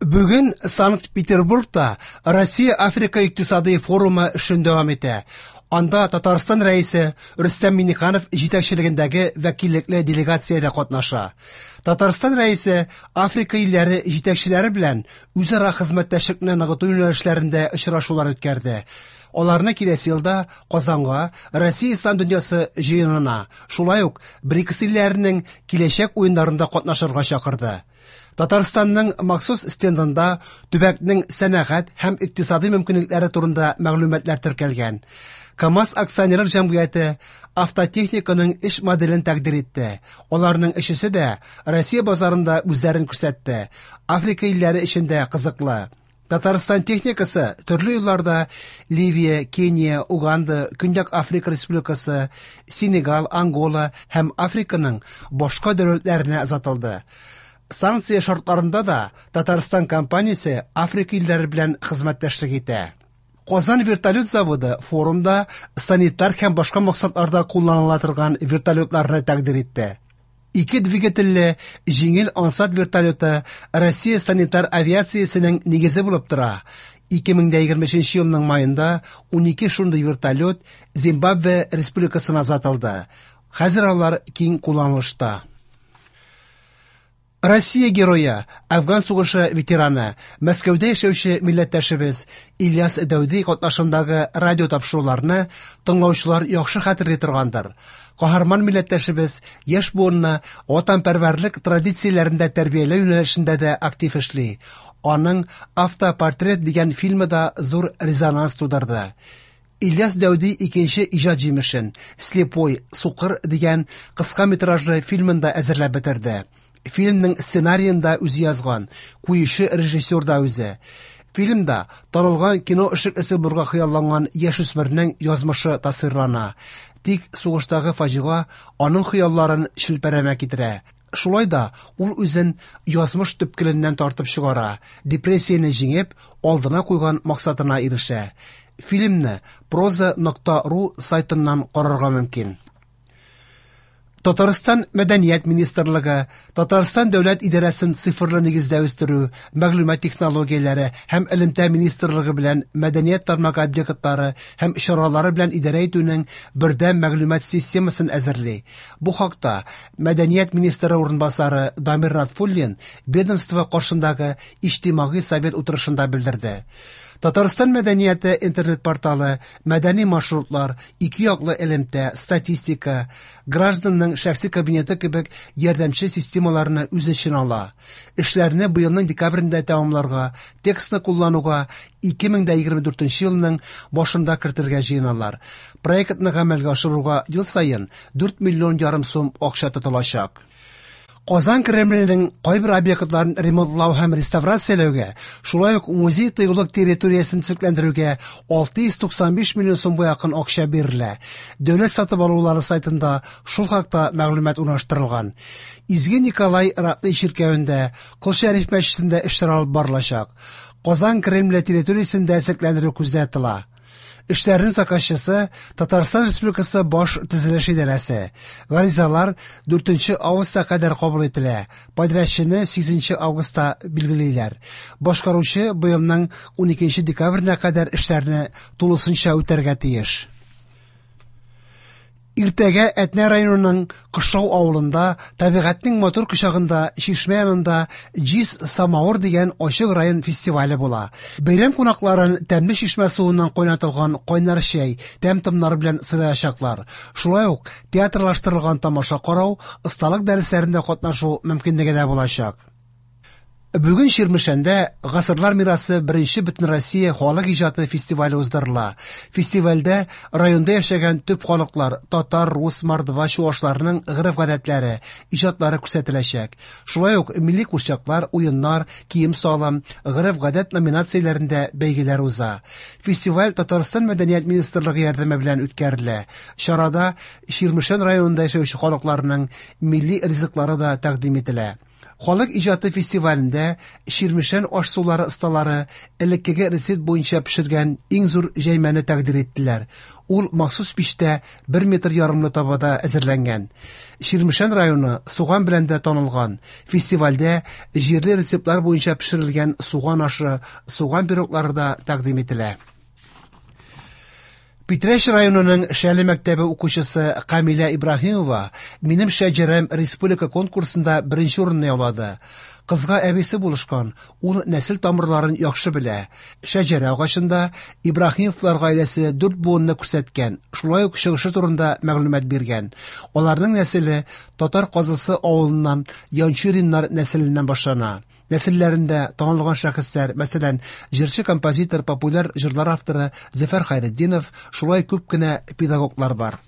Бүген Санкт-Петербургта Россия-Африка икътисадый форумы эшен дәвам итә. Анда Татарстан Рәисе Рөстәм Миңнеханов җитәкчелегендәге вәкиллекле делегация дә катнаша. Татарстан Рәисе Африка илләре җитәкчеләре белән үзара хезмәттәшлекне ныгыту юнәлешләрендә очрашулар үткәрде. Аларны киләсе елда Казанга Россия Ислам дөньясы җыенына, шулай ук БРИКС илләренең киләчәк уеннарында катнашырга чакырды. Татарстанның махсус стендында төбәкнең сәнәгать һәм икътисадый мөмкинлекләре турында мәгълүматлар теркәлгән. КАМАЗ акционерлык җәмгыяте автотехниканың эш моделен тәкъдир итте. Аларның өчесе дә Россия базарында үзләрен күрсәтте. Африка илләре өчен дә кызыклы. Татарстан техникасы төрле елларда Ливия, Кения, Уганда, Көньяк Африка Республикасы, Сенегал, Ангола һәм Африканың башка дәүләтләренә озатылды. Санкция шартларында да Татарстан компаниясе Африка илләре белән хезмәттәшлек итә. Казан вертолет заводы форумда санитар һәм башка максатларда кулланыла торган вертолетларны тәкъдир итте. Ике двигательле җиңел ансат вертолеты Россия санитар авиациясенең нигезе булып тора. 2023 елның маенда 12 шундый вертолет Зимбабве Республикасына озатылды. Хәзер алар киң кулланылышта. Россия герое, Афган сугышы ветераны, Мәскәүдә яшәүче милләттәшебез Ильяс Дәүди катнашындагы радио тапшыруларны тыңлаучылар яхшы хәтерли торгандыр. Каһарман милләттәшебез яшь буынны ватанпәрвәрлек традицияләрендә тәрбияләү юнәлешендә дә актив эшли. Аның «Автопортрет» дигән фильмы да зур резонанс тудырды. Ильяс Дәүди икенче иҗат җимешен «Слепой, сукыр» дигән кыска метражлы фильмын да әзерләп бетерде. Фильмның сценариен да үзе язган, куючы режиссер да үзе. Фильмда танылган кино эшлеклесе булырга хыялланган яшүсмернең язмышы тасвирлана. Тик сугыштагы фаҗига аның хыялларын челпәрәмә китерә. Шулай да ул үзен язмыш төпкеленнән тартып чыгара, депрессияне җиңеп, алдына куйган максатына ирешә. Фильмны проза.ру сайтыннан карарга мөмкин. Татарстан Мәдәният министрлыгы, Татарстан дәүләт идарәсен цифрлы нигездә үстерү, мәгълүмат технологияләре һәм элемтә министрлыгы белән мәдәният тармагы объектлары һәм чаралары белән идарә итүнең бердәм мәгълүмат системасын әзерли. Бу хакта Мәдәният министры урынбасары Дамир Натфуллин ведомство каршындагы Иҗтимагый совет утырышында белдерде. Татарстан мәдәнияте интернет-порталы, мәдәни маршрутлар, ике яклы элемтә, статистика, гражданның шәхси кабинеты кебек ярдәмче системаларны үз эченә ала. Эшләрне быелның декабрендә тәмамларга, текстны куллануга 2024 елның башында кертергә җыеналар. Проектны гамәлгә ашыруга ел саен 4 миллион ярым сум акча тотылачак. Казан Кремленең кайбер объектларын ремонтлау һәм реставрацияләүгә, шулай ук музей-тыюлык территориясен төзекләндерүгә 695 миллион сумга якын акча бирелә. Дәүләт сатып алулары сайтында шул хакта мәгълүмат урнаштырылган. Изге Николай Ратный чиркәвендә, Кол Шәриф мәчетендә эшләр алып барылачак. Казан Кремле территориясендә төзекләндерү күздә тотыла. Эшләрнең заказчысы Татарстан Республикасы Баш төзелеш идарәсе. Гаризалар 4 августка кадәр кабул ителә. Подрядчыны 8 августта билгелиләр. Башкаручы быелның 12 декабренә кадәр эшләрне тулысынча үтәргә тиеш. Иртәгә Әтнә районының Кышлау авылында табигатьнең матур кочагында чишмә янында Җиз самавыр дигән ачык район фестивале була. Бәйрәм кунакларын тәмле чишмә суыннан кайнатылган кайнар чәй, тәм-томнар белән сыйлаячаклар. Шулай ук театрлаштырылган тамаша карау, осталык дәресләрендә катнашу мөмкинлеге дә булачак. Бүген Чирмешәндә Гасырлар мирасы беренче Бөтенроссия халык иҗаты фестивале уздырыла. Фестивальдә районда яшәгән төп халыклар татар, рус, мордва, чуашларның гореф-гадәтләре, иҗатлары күрсәтеләчәк. Шулай ук милли курчаклар, уеннар, кием-салым, гореф-гадәт номинацияләрендә бәйгеләр уза. Фестиваль Татарстан Мәдәният министрлыгы ярдәме белән үткәрелә. Чарада Чирмешән районында яшәүче халыкларның милли ризыклары да тәкъдим ителә. Халык иҗаты фестивалендә Чирмешән аш-сулары осталары элеккеге рецепт буенча пешергән иң зур җәймәне тәкъдир иттеләр. Ул махсус мичтә бер метр ярымлы табада әзерләнгән. Чирмешән районы суган белән дә танылган. Фестивальдә җирле рецептлар буенча пешерелгән суган ашы, суган пироглары да тәкъдим ителә. Питрәч районының Шәле мәктәбе укучысы Камилә Ибраһимова Минем шәҗәрәм республика конкурсында беренче урынны яулады. Кызга әбисе булышкан, ул нәсел тамырларын яхшы белә. Шәҗәрә агачында Ибраһимовлар гаиләсе дүрт буынны күрсәткән, шулай ук чыгышы турында мәгълүмат биргән. Аларның нәселе Татар Казылсы авылыннан Янчуриннар нәселеннән башлана. Нәселләрендә танылган шәхесләр, мәсәлән, җырчы-композитор, популяр җырлар авторы Зөфәр Хәйретдинов, шулай күп кенә педагоглар бар.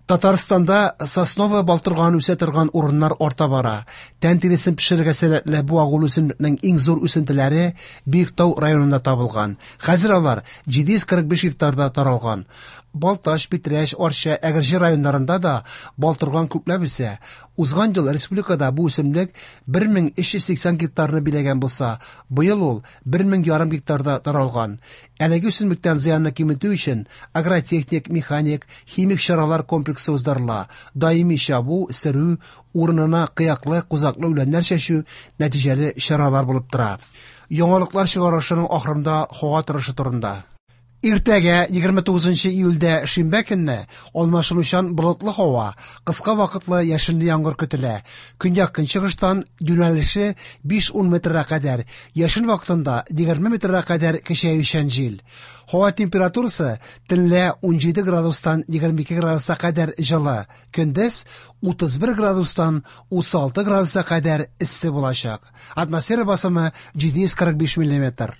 Татарстанда сосновая балтырган үсә торган урыннар арта бара. Тән тиресен пешерергә сәләтле бу агулы үсемлекнең иң зур үсентеләре Биектау районында табылган. Хәзер алар 745 гектарда таралган. Балтач, Питрәч, Арча, Әгерҗе районнарында да балтырган күпләп үсә. Узган ел республикада бу үсемлек 1380 гектарны биләгән булса, быел ул 1500 гектарда таралган. Әлеге үсемлектән зыянны киметү өчен агротехник, механик, химик чаралар комплексы уздырыла. Даими чабу, сөрү, урынына кыяклы, кузаклы үләннәр чәчү нәтиҗәле чаралар булып тора. Яңалыклар чыгарылышының ахырында һава торышы турында. Иртәгә, 29 июльдә шимбә көнне, алмашынучан болытлы һава, кыска вакытлы яшенле яңгыр көтелә. Көньяк-көнчыгыштан юнәлеше 5-10 метрга кадәр, яшен вакытында 20 метрга кадәр көчәючән җил. Һава температурасы төнлә 17 градустан 22 градуска кадәр җылы, көндез 31 градустан 36 градуска кадәр эссе булачак. Атмосфера басымы 745 миллиметр.